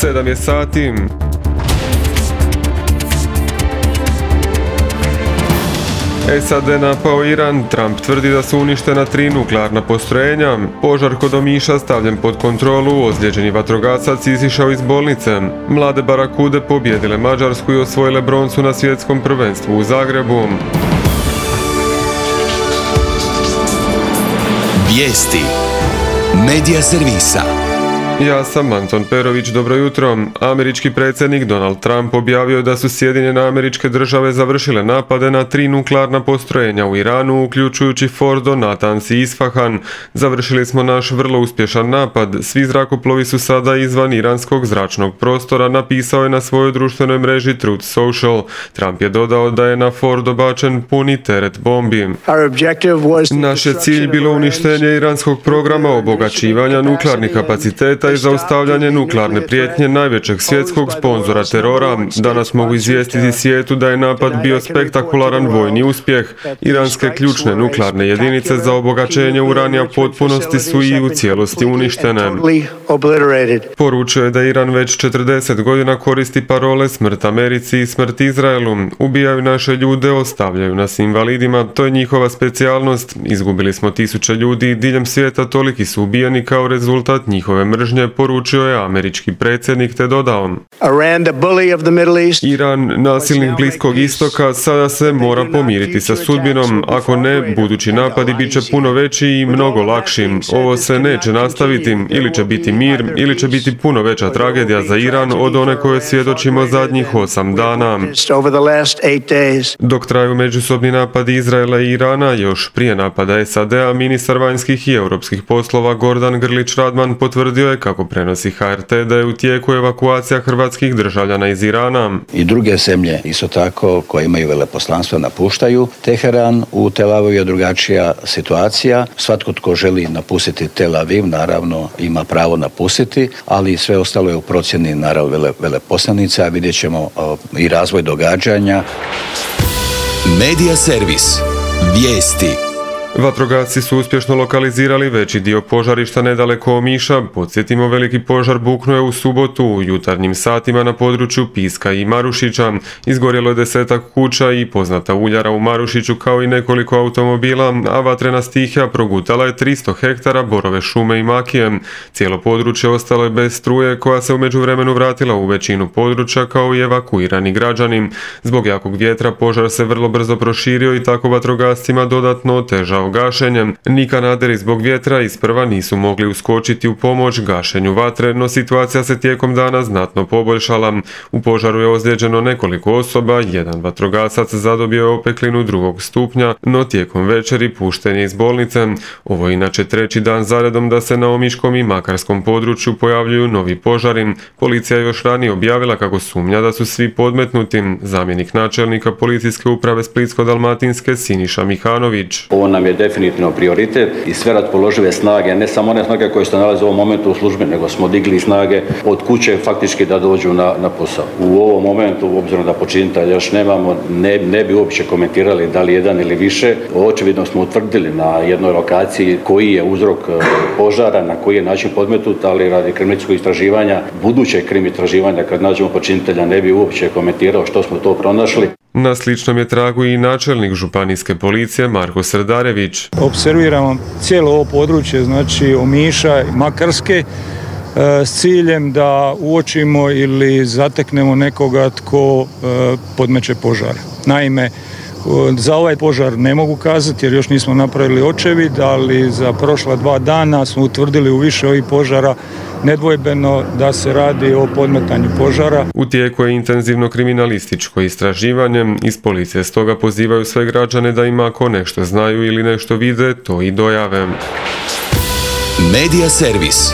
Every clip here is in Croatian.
7 je sati. SAD napao Iran, Trump tvrdi da su uništena 3 nuklearna postrojenja, požar kod Omiša stavljen pod kontrolu, ozlijeđeni vatrogasac izišao iz bolnice, mlade barakude pobjedile Mađarsku i osvojile broncu na svjetskom prvenstvu u Zagrebu. Vijesti Medija servisa. Ja sam Anton Perović, dobro jutro. Američki predsjednik Donald Trump objavio da su Sjedinjene Američke Države završile napade na 3 nuklearna postrojenja u Iranu, uključujući Fordo, Natanz i Isfahan. Završili smo naš vrlo uspješan napad. Svi zrakoplovi su sada izvan iranskog zračnog prostora, napisao je na svojoj društvenoj mreži Truth Social. Trump je dodao da je na Fordo bačen puni teret bombi. Naš je cilj bilo uništenje iranskog programa obogaćivanja nuklearnih kapaciteta i zaustavljanje nuklearne prijetnje najvećeg svjetskog sponzora terora. Danas mogu izvijestiti svijetu da je napad bio spektakularan vojni uspjeh. Iranske ključne nuklearne jedinice za obogaćenje uranija u potpunosti su i u cijelosti uništene. Poručio je da Iran već 40 godina koristi parole smrt Americi i smrt Izraelu. Ubijaju naše ljude, ostavljaju nas invalidima, to je njihova specijalnost. Izgubili smo tisuće ljudi diljem svijeta, toliki su ubijeni kao rezultat njihove mržnje, poručio je američki predsjednik te dodao: Iran, nasilnik Bliskog istoka, sada se mora pomiriti sa sudbinom, ako ne, budući napadi bit će puno veći i mnogo lakši. Ovo se neće nastaviti, ili će biti mir, ili će biti puno veća tragedija za Iran od one koje svjedočimo zadnjih 8 dana. Dok traju međusobni napadi Izraela i Irana, još prije napada SAD-a, ministar vanjskih i europskih poslova Gordan Grlić Radman potvrdio je, kako prenosi HRT, da je u tijeku evakuacija hrvatskih državljana iz Irana. I druge zemlje isto tako koje imaju veleposlanstva napuštaju Teheran. U Tel Avivu je drugačija situacija. Svatko tko želi napustiti Tel Aviv naravno ima pravo napustiti, ali sve ostalo je u procjeni naravno veleposlanica, a vidjet ćemo i razvoj događanja. Medija servis. Vijesti. Vatrogasci su uspješno lokalizirali veći dio požarišta nedaleko Omiša. Podsjetimo, veliki požar buknuo je u subotu u jutarnjim satima na području Piska i Marušića. Izgorjelo je 10-ak kuća i poznata uljara u Marušiću, kao i nekoliko automobila, a vatrena stihija progutala je 300 hektara borove šume i makije. Cijelo područje ostalo je bez struje, koja se u međuvremenu vratila u većinu područja, kao i evakuirani građani. Zbog jakog vjetra požar se vrlo brzo proširio i tako vatrogascima dodatno otežao gašenjem. Ni kanaderi zbog vjetra isprva nisu mogli uskočiti u pomoć gašenju vatre, no situacija se tijekom dana znatno poboljšala. U požaru je ozlijeđeno nekoliko osoba, jedan vatrogasac zadobio je opeklinu 2. stupnja, no tijekom večeri pušten je iz bolnice. Ovo je inače 3. dan zaredom da se na omiškom i makarskom području pojavljuju novi požari. Policija je još ranije objavila kako sumnja da su svi podmetnuti. Zamjenik načelnika policijske uprave Splitsko-dalmatinske Siniša Mihanović: Ovo nam je definitivno prioritet i sve raspoložive snage, ne samo one snage koje se nalaze u ovom momentu u službi, nego smo digli snage od kuće faktički da dođu na posao. U ovom momentu, obzirom da počinitelja još nemamo, ne bi uopće komentirali da li jedan ili više. Očevidno smo utvrdili na jednoj lokaciji koji je uzrok požara, na koji je način podmetnut, ali radi kriminalističkog istraživanja, budućeg istraživanja, kad nađemo počinitelja, ne bi uopće komentirao što smo to pronašli. Na sličnom je tragu i načelnik županijske policije Marko Srdarević. Observiramo cijelo ovo područje, znači Omiša i Makarske, s ciljem da uočimo ili zateknemo nekoga tko podmeće požar. Naime, za ovaj požar ne mogu kazati jer još nismo napravili očevid, ali za prošla 2 dana smo utvrdili u više ovih požara nedvojbeno da se radi o podmetanju požara. U tijeku je intenzivno kriminalističko istraživanje. Iz policije stoga pozivaju sve građane da im ako nešto znaju ili nešto vide, to i dojave. Medija servis.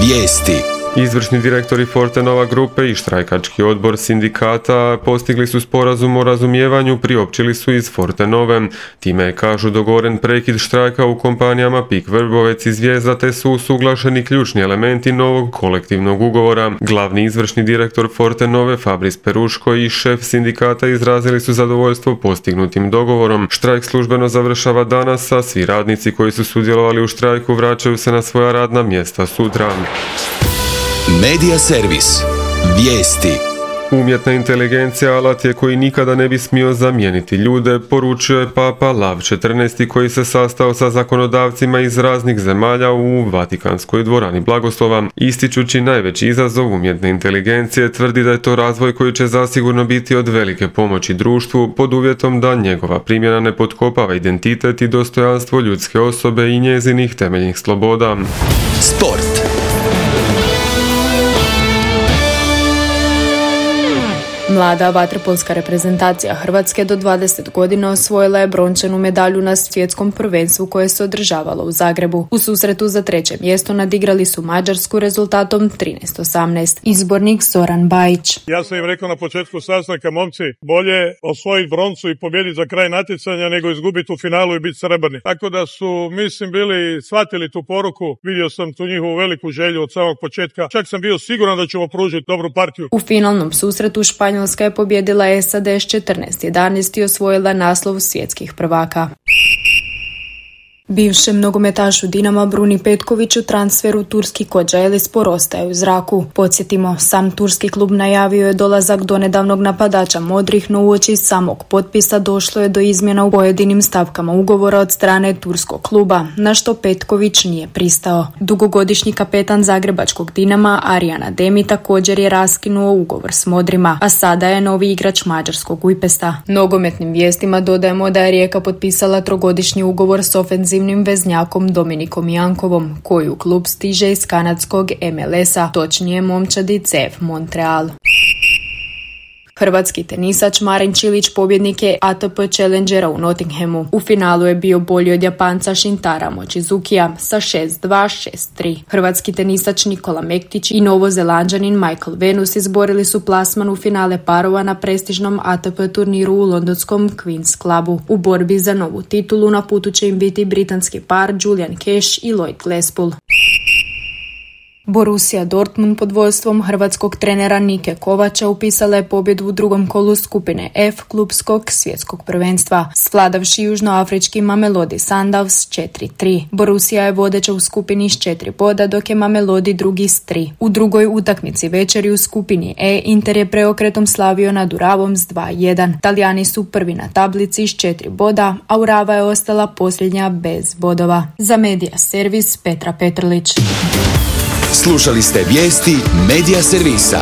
Vijesti. Izvršni direktori Fortenova grupe i štrajkački odbor sindikata postigli su sporazum o razumijevanju, priopćili su iz Fortenove. Time je, kažu, dogovoren prekid štrajka u kompanijama PIK Vrbovec i Zvijezda, te su usuglašeni ključni elementi novog kolektivnog ugovora. Glavni izvršni direktor Fortenove Fabris Peruško i šef sindikata izrazili su zadovoljstvo postignutim dogovorom. Štrajk službeno završava danas, a svi radnici koji su sudjelovali u štrajku vraćaju se na svoja radna mjesta sutra. Medija servis. Vijesti. Umjetna inteligencija alat je koji nikada ne bi smio zamijeniti ljude, poručio je Papa Lav XIV koji se sastao sa zakonodavcima iz raznih zemalja u Vatikanskoj dvorani blagoslova. Ističući najveći izazov umjetne inteligencije, tvrdi da je to razvoj koji će zasigurno biti od velike pomoći društvu pod uvjetom da njegova primjena ne potkopava identitet i dostojanstvo ljudske osobe i njezinih temeljnih sloboda. Sport. Mlada vaterpolska reprezentacija Hrvatske do 20 godina osvojila je brončanu medalju na svjetskom prvenstvu koje se održavalo u Zagrebu. U susretu za 3. mjesto nadigrali su Mađarsku rezultatom 13-18. Izbornik Zoran Bajić. Ja sam im rekao na početku sastanka, momci, bolje osvojiti broncu i pobijediti za kraj natjecanja nego izgubiti u finalu i biti srebrni. Tako da su, mislim, bili shvatili tu poruku. Vidio sam tu njihovu veliku želju od samog početka. Čak sam bio siguran da ćemo pružiti dobru partiju. U finalnom susretu Španjolska je pobjedila SAD s 14-11 i osvojila naslov svjetskih prvaka. Bivšem nogometašu Dinama Bruni Petkoviću transfer u turski Kocaeli ostaje u zraku. Podsjetimo, sam turski klub najavio je dolazak donedavnog napadača Modrih, no uoči samog potpisa došlo je do izmjena u pojedinim stavkama ugovora od strane turskog kluba, na što Petković nije pristao. Dugogodišnji kapetan zagrebačkog Dinama Arjan Ademi također je raskinuo ugovor s Modrima, a sada je novi igrač mađarskog Ujpesta. Nogometnim vijestima dodajemo da je Rijeka potpisala 3-godišnji ugovor s ofenzivnim veznjakom Dominikom Jankovom, koji u klub stiže iz kanadskog MLS-a, točnije momčadi CF Montreal. Hrvatski tenisač Marin Čilić pobjednik je ATP Challengera u Nottinghamu. U finalu je bio bolji od Japanca Shintara Mochizukija sa 6-2, 6-3. Hrvatski tenisač Nikola Mektić i Novozelanđanin Michael Venus izborili su plasman u finale parova na prestižnom ATP turniru u londonskom Queen's Clubu. U borbi za novu titulu na putu će im biti britanski par Julian Cash i Lloyd Glasspool. Borussia Dortmund pod vodstvom hrvatskog trenera Nike Kovača upisala je pobjedu u drugom kolu skupine F klubskog svjetskog prvenstva, svladavši južnoafrički Mamelodi Sundowns 4-3. Borussia je vodeća u skupini s 4 boda, dok je Mamelodi drugi s 3. U drugoj utakmici večeri u skupini E Inter je preokretom slavio nad Uravom s 2-1. Talijani su prvi na tablici s 4 boda, a Urava je ostala posljednja bez bodova. Za Medija Servis Petra Petrlić. Slušali ste vijesti Medija Servisa.